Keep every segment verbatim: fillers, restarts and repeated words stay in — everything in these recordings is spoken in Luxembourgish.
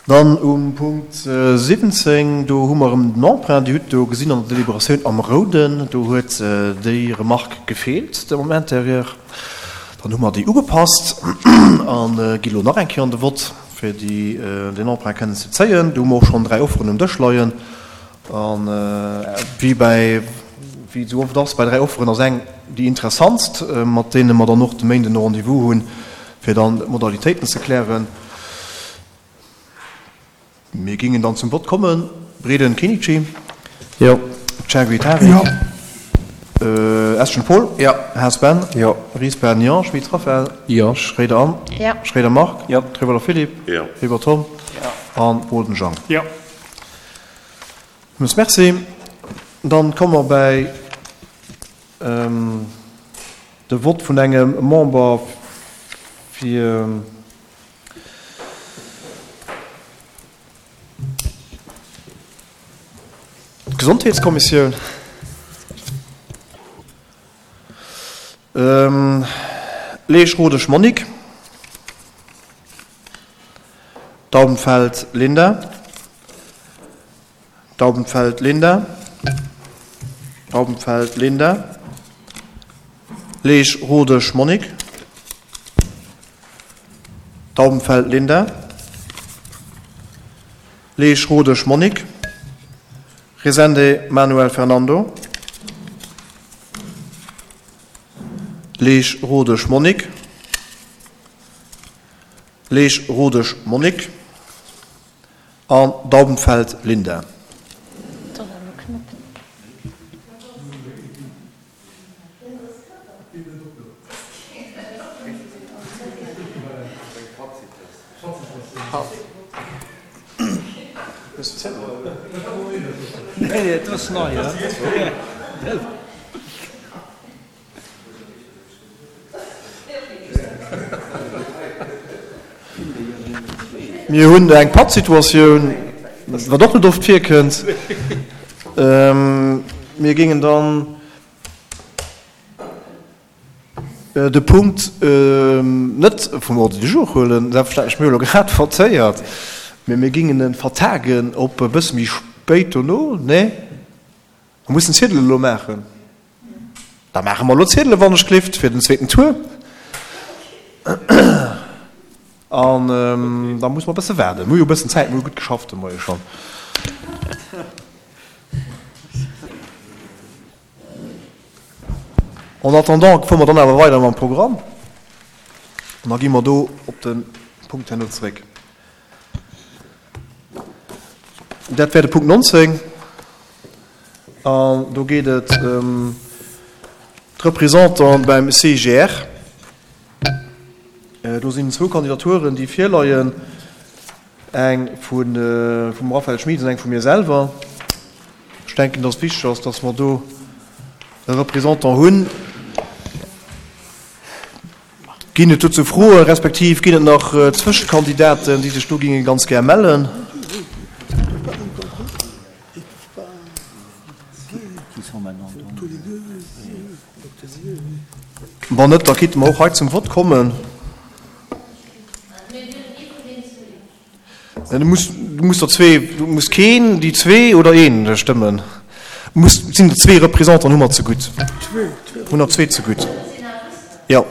Dann um Punkt siwwenzéng, do hu mer erëm den Emprunt. Dir hutt do gesinn an der Deliberatioun am Rouden, do huet déi Remarque gefeelt dem Intérieur. Dann hu mer déi ugepasst a gi lo nach eng Kéier an de Vott, fir déi, deen Emprunt kënnen ze zéien. Do hu mer och schonn dräi Offeren um Dësch leien. A wéi bäi, wéi et esou oft ass bei dräi Offeren, ass eng déi interessantst, mat deene mer dann och de Méinden e Rendez-vous hunn, fir dann d'Modalitéiten ze klären. Mir gingen dann zum Vott kommen. Breden Kenichi. Jo. Chergui Tarik. Jo. Eschen Paul. Jo. Haas Ben. Jo. Ries Ben, jo. Schmit Raphaël. Jo. Schroeder Anne. Jo. Schroeder Marc. Jo. Trewelle Philippe. Jo. Weber Tom. Jo. An Boden Jean. Jo. Villmools Merci. Dann komme mer bäi de Vott vun engem Member fir d'Gesondheetskommissioun. Leesch Rodesch Monique, Daubenfeld Linda, Daubenfeld Linda, Daubenfeld Linda, Leesch Rodesch Monique, Daubenfeld Linda, Leesch Rodesch Monique, Rezende Manuel Fernando, Leesch Rodesch Monique, Leesch Rodesch Monique an Daubenfeld Linda. Mir hunn eng Pattsituatioun, wat och net oft virkënnt. Mir géingen dann de Punkt net vum Ordre du jour huelen, selbstverständlech, mir hu elo grad votéiert, mee mir géingen e vertagen op e bësse méi spéit dono. Nee? Mer mussen d'Ziedelen elo maachen. Da maache mer elo d'Ziedelen, wann ech gelift, fir den zweeten Tour. An da musse mer e bësse waarden. Mir hu jo e bëssen Zäit, mir hu gutt geschafft de Moie schonn. En attendant fuere mer dann awer weider mam Programm an da gi mer do op de Punkt herno zeréck. Dat wär de Punkt nonzéng an do geet et ëm d'Representanten beim C I G R. Do sinn zwou Kandidaturen, déi virleien, eng vum Raphaël Schmit an eng vu mir selwer. Ech denken, dass et wichteg ass, dass mer do e Représentant hunn. Ginn et dozou Froen, respektiv ginn et nach Zwëschekandidaten, déi sech do géinge ganz gär mellen? Wann net, da kinnte mer och hei zum Vott kommen. Du muss, du muss der zwee, du muss keen, déi zwee oder een stëmmen. Muss, sinn der zwee Représentanten hu mer zegutt. Hunn der zwee zegutt. Jo.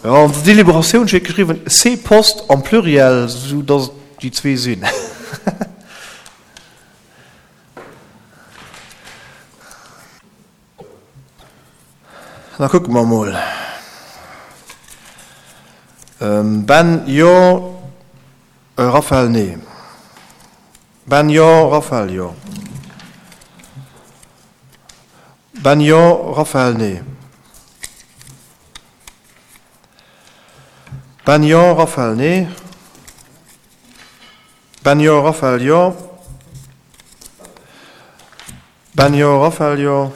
Jo, an der Deliberatioun steet geschriwwen ces postes am Pluriel, esou datt et déi zwee sinn. Da kucke mer emol. Ben, jo. Raphaël, nee. Ben, jo. Raphaël, jo. Ben, jo. Raphaël, nee. Ben, jo. Raphaël, nee. Ben, jo. Raphaël, jo. Ben, jo. Raphaël, jo.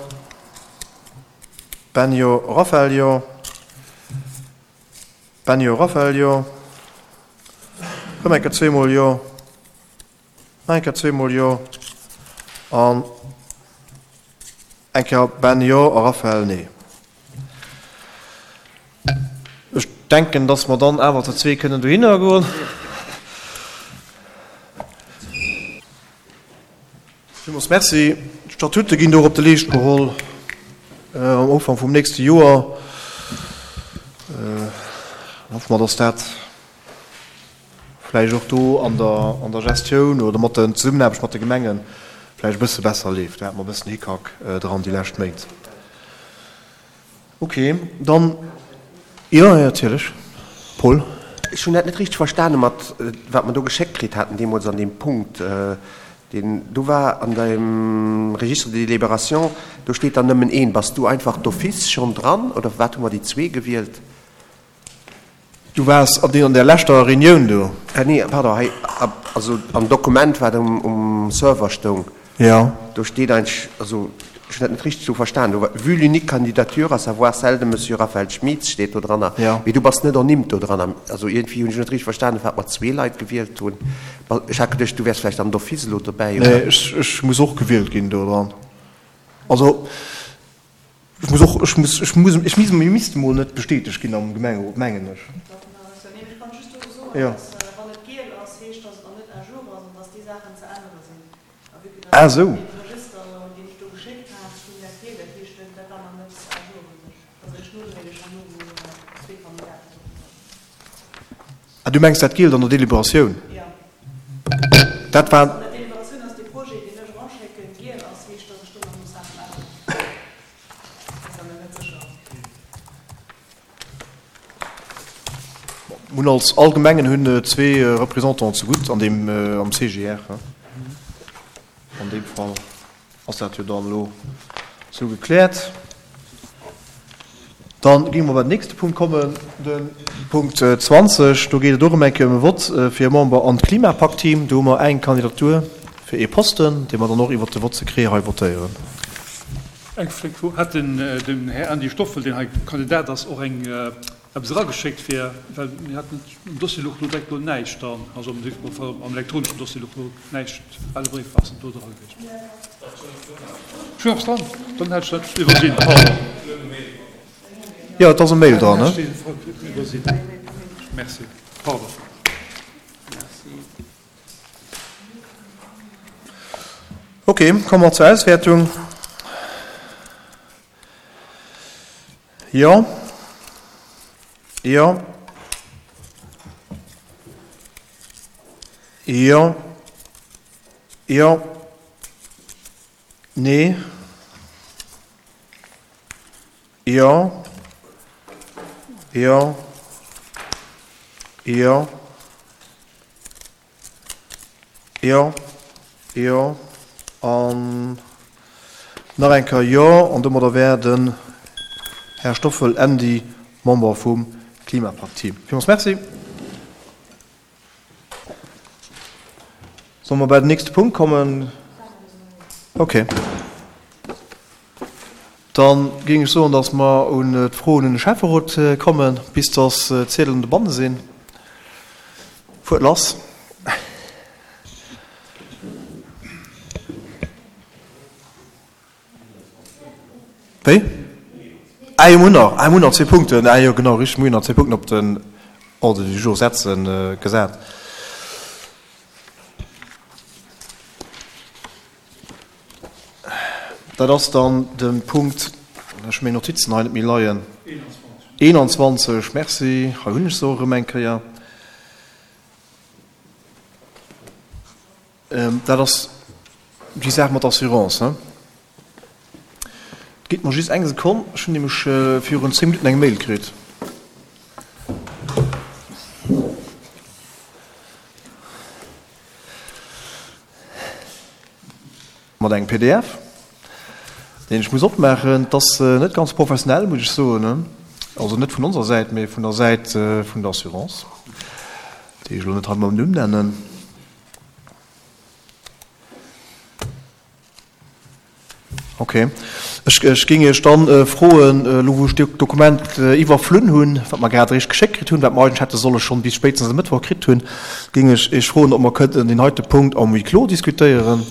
Ben, jo. Raphaël, jo. Ben, jo. Raphaël, jo. Rëm eng Kéier zweemol jo. Nach eng Kéier zweemol jo. An eng Kéier Ben, jo a Raphaël, nee. denken, dass mer dann awer zu zwee kënnen dohinner goen. Villmools Merci. D'Statute ginn do och op de Leescht geholl am Ufank vum nächste Joer. Hoffe mer, dass dat vläicht och do an der, an der Gestioun oder mat der Zesummenaarbecht mat de Gemenge vläicht e bësse besser leeft. Do hate mer e bëssen Hickhack dran déi lescht Méint. Ok, dann, jo, jo, natierlech, Paul. Ech hunn dat net richteg verstane mat wat mer do geschéckt kritt haten deemools an deem Punkt, deen do war an deem Registre de délibération, do steet dann nëmmen een. Bass du einfach d'office schonn dran oder firwat hu mer déi zwee gewielt? Du waars an deer leschter Reunioun do? Nee, pardon, hei, also am Dokument, wat um Server stoung, do steet eigentlech, also ech hunn dat net richteg esou verstan, do war vu l'unique candidature, à savoir celle de Monsieur Raphaël Schmitz, steet do dranner, mee du bass net ernimmt do dranner. Also iergendwéi hunn ech net richteg verstanen, firwat mer zwee Leit gewielt hunn. Ech hat geduecht, du wäers vläicht dann d'office elo dobäi, oder? Nee, ech muss och gewielt ginn do dran. Also ech muss och, ech muss, ech muss, ech misst, mir misste mol net bestätegt ginn am Gemengerot, mengen ech. Jo. Ah esou. Ah, du mengs dat gielt an der Deliberatioun? Dat war. Mir hunn als all Gemengen hunn zwee Représentants zegutt an deem, am C G R. An deem Fall ass dat jo dann elo esou gekläert. Dann géinge mer bei den nächste Punkt kommen, de Punkt zwanzeg. Do geet et och ëm eng Kéier ëm e Vott fir e Member an d'Klimapakt-Team. Do hu mer eng Kandidatur fir ee Posten, dee mer dann och iwwert de Vote secret hei votéieren. Eng Fro, Hat den Här Andy Stoffel, deen hei Kandidat ass, och eng eppes erageschéckt fir, well mir haten um Dossier louch lo direkt lo näischt dran, also am elektroneschen Dossier louch lo näischt, ale Bréif ass net do dra gewiescht. Ech hunn eppes dran, dann hätt ech dat iwwersinn, pardon. Jo, et ass e Mail dran, ne? Iwwersinn, merci, pardon. Ok, komme mer zur Auswäertung. Jo. Jo. Jo. Jo. Nee. Jo. Jo. Jo. Jo. Jo. An nach eng Kéier Jo. An domadder wär den Här Stoffel Andy Member vum Klimapakt-Team. Villmools Merci. Solle mer bei den nächste Punkt kommen? Okay. Da géing ech soen, dass mer un d'Froen un de Schäfferot kommen, bis dass d'Ziedelen dobanne sinn. Fuert lass. Wéi? Ah jo, mir hunn nach, ah, mir hunn nach zwee Punkten. Ah jo, genau, richtig, mir hunn nach zwee Punkten op den Ordre du jour setzen, gesat. Dat ass dann de Punkt, ech hu meng Notizen hei net méi leien, eenanzwanzeg, merci, hei hunn ech se och erëm eng Kéier. Dat ass déi Saach mat der Assurance, he? Gitt mer just eng Sekonn, ech hunn nämlech virun zéng Minutten eng Mail kritt. Mat engem P D F, deen ech muss opmaachen. Et ass net ganz professionell, muss ech soen, also net vun onser Säit, mee vun der Säit vun der Assurance, déi ech elo net hei mam Numm nennen. Ok. Ech, ech géing Iech dann froen, elo wou ech d'Dokument iwwerflunn hunn, wat mer grad eréischt geschéckt kritt hunn, wat mer eigentlech hätte solle schonn bis spéitstens e Mëttwoch kritt hunn, géing ech Iech froen, ob mer kënnten deen heite Punkt am Huis clos diskutéieren.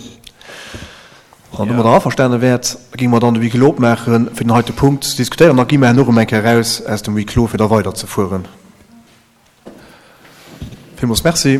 Wann Der domadder averstane wäert, géinge mer dann de Huis clos opmaachen, fir den heite Punkt ze diskutéieren. Da gi mer herno erëm eng Kéier eraus aus dem Huis clos, fir da weiderzefueren. Villmools Merci.